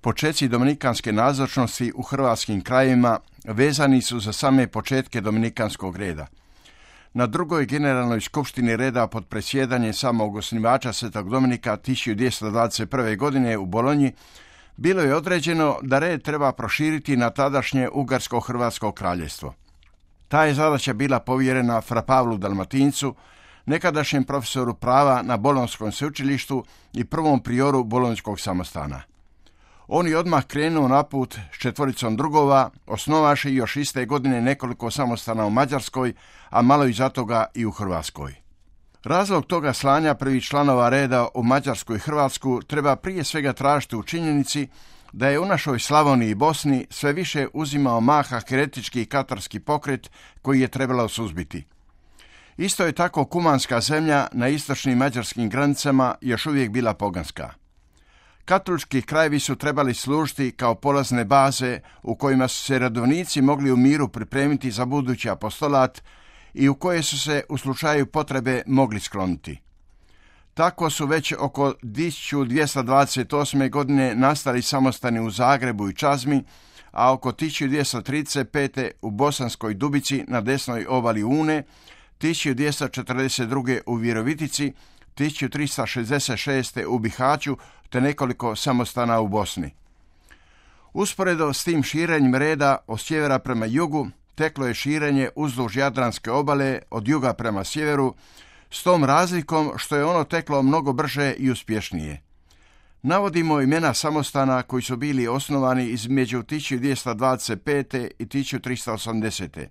Počeci dominikanske nazočnosti u hrvatskim krajevima vezani su za same početke dominikanskog reda. Na drugoj generalnoj skupštini reda pod predsjedanjem samog osnivača Svetog Dominika 1221. godine u Bolonji bilo je određeno da red treba proširiti na tadašnje Ugarsko-Hrvatsko kraljevstvo. Ta je zadaća bila povjerena fra Pavlu Dalmatincu, nekadašnjem profesoru prava na Bolonjskom sveučilištu i prvom prioru Bolonjskog samostana. On je odmah krenuo na put s 4 drugova, osnovaši još iste godine nekoliko samostana u Mađarskoj, a malo iza toga i u Hrvatskoj. Razlog toga slanja prvih članova reda u Mađarsku i Hrvatsku treba prije svega tražiti u činjenici da je u našoj Slavoniji i Bosni sve više uzimao maha heretički i katarski pokret koji je trebalo suzbiti. Isto je tako kumanska zemlja na istočnim mađarskim granicama još uvijek bila poganska. Katolički krajevi su trebali služiti kao polazne baze u kojima su se redovnici mogli u miru pripremiti za budući apostolat i u koje su se u slučaju potrebe mogli skloniti. Tako su već oko 1228. godine nastali samostani u Zagrebu i Čazmi, a oko 1235. u Bosanskoj Dubici na desnoj obali Une, 1242. u Virovitici, 1366. u Bihaću te nekoliko samostana u Bosni. Usporedo s tim širenjem reda od sjevera prema jugu teklo je širenje uzduž Jadranske obale od juga prema sjeveru, s tom razlikom što je ono teklo mnogo brže i uspješnije. Navodimo imena samostana koji su bili osnovani između 1225. i 1380.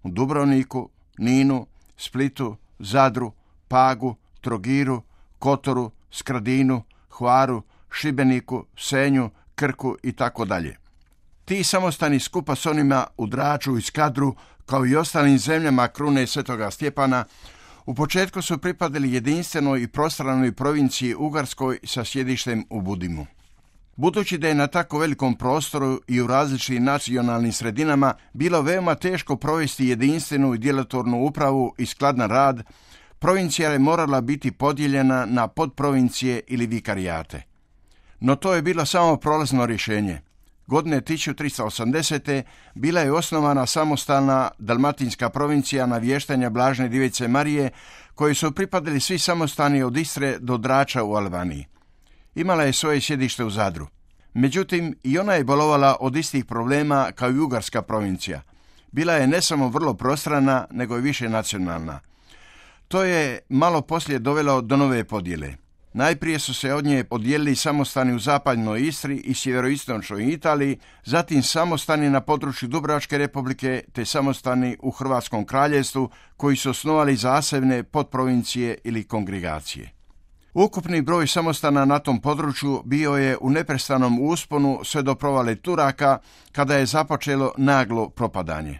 u Dubrovniku, Ninu, Splitu, Zadru, Pagu, Trogiru, Kotoru, Skradinu, Hvaru, Šibeniku, Senju, Krku i tako dalje. Ti samostani skupa s onima u Draču i Skadru, kao i ostalim zemljama krune Svetoga Stjepana, u početku su pripadali jedinstvenoj i prostranoj provinciji Ugarskoj sa sjedištem u Budimu. Budući da je na tako velikom prostoru i u različitim nacionalnim sredinama bilo veoma teško provesti jedinstvenu i djelotvornu upravu i skladan rad, provincija je morala biti podijeljena na podprovincije ili vikarijate. No to je bilo samo prolazno rješenje. Godine 1380. bila je osnovana samostalna dalmatinska provincija navještanja Blažene Djevice Marije, koji su pripadali svi samostani od Istre do Drača u Albaniji. Imala je svoje sjedište u Zadru. Međutim, i ona je bolovala od istih problema kao i Ugarska provincija. Bila je ne samo vrlo prostrana, nego i više nacionalna. To je malo poslije dovelo do nove podjele. Najprije su se od nje podijelili samostani u zapadnoj Istri i sjeveroistočnoj Italiji, zatim samostani na području Dubrovačke republike te samostani u Hrvatskom kraljevstvu koji su osnovali zasebne podprovincije ili kongregacije. Ukupni broj samostana na tom području bio je u neprestanom usponu sve do provale Turaka kada je započelo naglo propadanje.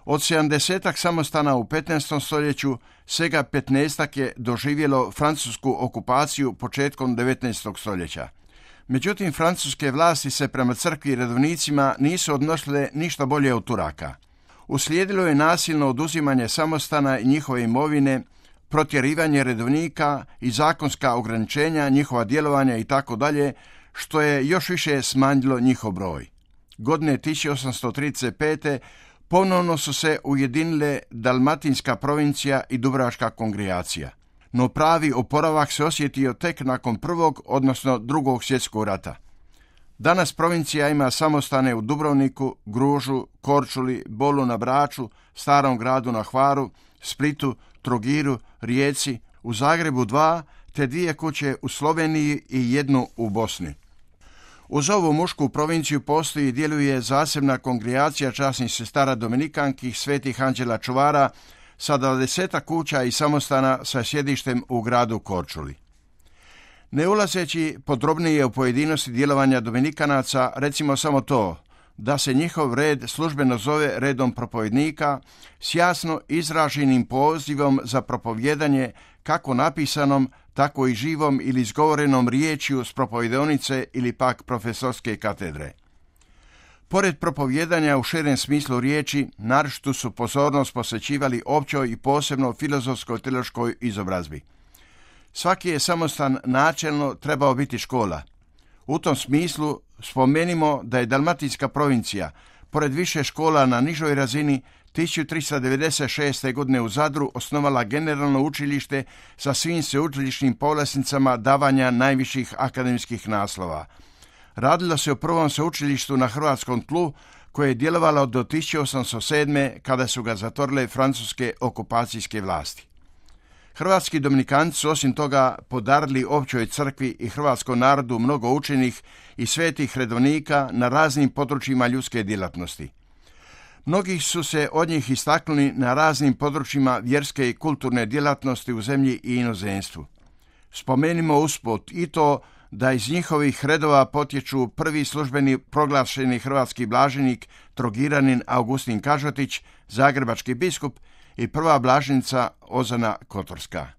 Od 70-ak samostana u 15. stoljeću, svega 15-ak je doživjelo francusku okupaciju početkom 19. stoljeća. Međutim, francuske vlasti se prema crkvi i redovnicima nisu odnosile ništa bolje od Turaka. Uslijedilo je nasilno oduzimanje samostana i njihove imovine, protjerivanje redovnika i zakonska ograničenja njihova djelovanja itd., što je još više smanjilo njihov broj. Godine 1835. ponovno su se ujedinile Dalmatinska provincija i Dubrovačka kongregacija. No pravi oporavak se osjetio tek nakon Prvog, odnosno Drugog svjetskog rata. Danas provincija ima samostane u Dubrovniku, Gružu, Korčuli, Bolu na Braču, Starom gradu na Hvaru, Splitu, Trogiru, Rijeci, u Zagrebu 2, te 2 kuće u Sloveniji i 1 u Bosni. Uz ovu mušku provinciju postoji i djeluje zasebna kongregacija časnih sestara dominikanki Svetih Anđela Čuvara sa 20 kuća i samostana sa sjedištem u gradu Korčuli. Ne ulazeći podrobnije u pojedinosti djelovanja dominikanaca, recimo samo to da se njihov red službeno zove redom propovednika s jasno izraženim pozivom za propovjedanje kako napisanom, tako i živom ili izgovorenom riječju s propovedonice ili pak profesorske katedre. Pored propovjedanja u širem smislu riječi, naročitu su pozornost posvećivali općoj i posebno filozofsko-teološkoj izobrazbi. Svaki je samostan načelno trebao biti škola. U tom smislu spomenimo da je Dalmatinska provincija, pored više škola na nižoj razini, 1396. godine u Zadru osnovala generalno učilište sa svim sveučilišnim povlasticama davanja najviših akademskih naslova. Radilo se o prvom sveučilištu na hrvatskom tlu koje je djelovalo do 1807. kada su ga zatvorile francuske okupacijske vlasti. Hrvatski dominikanci su osim toga podarili općoj crkvi i hrvatskom narodu mnogo učenih i svetih redovnika na raznim područjima ljudske djelatnosti. Mnogi su se od njih istaknuli na raznim područjima vjerske i kulturne djelatnosti u zemlji i inozemstvu. Spomenimo usput i to da iz njihovih redova potječu prvi službeni proglašeni hrvatski blaženik Trogiranin Augustin Kažotić, zagrebački biskup, i prva blaženika Ozana Kotorska.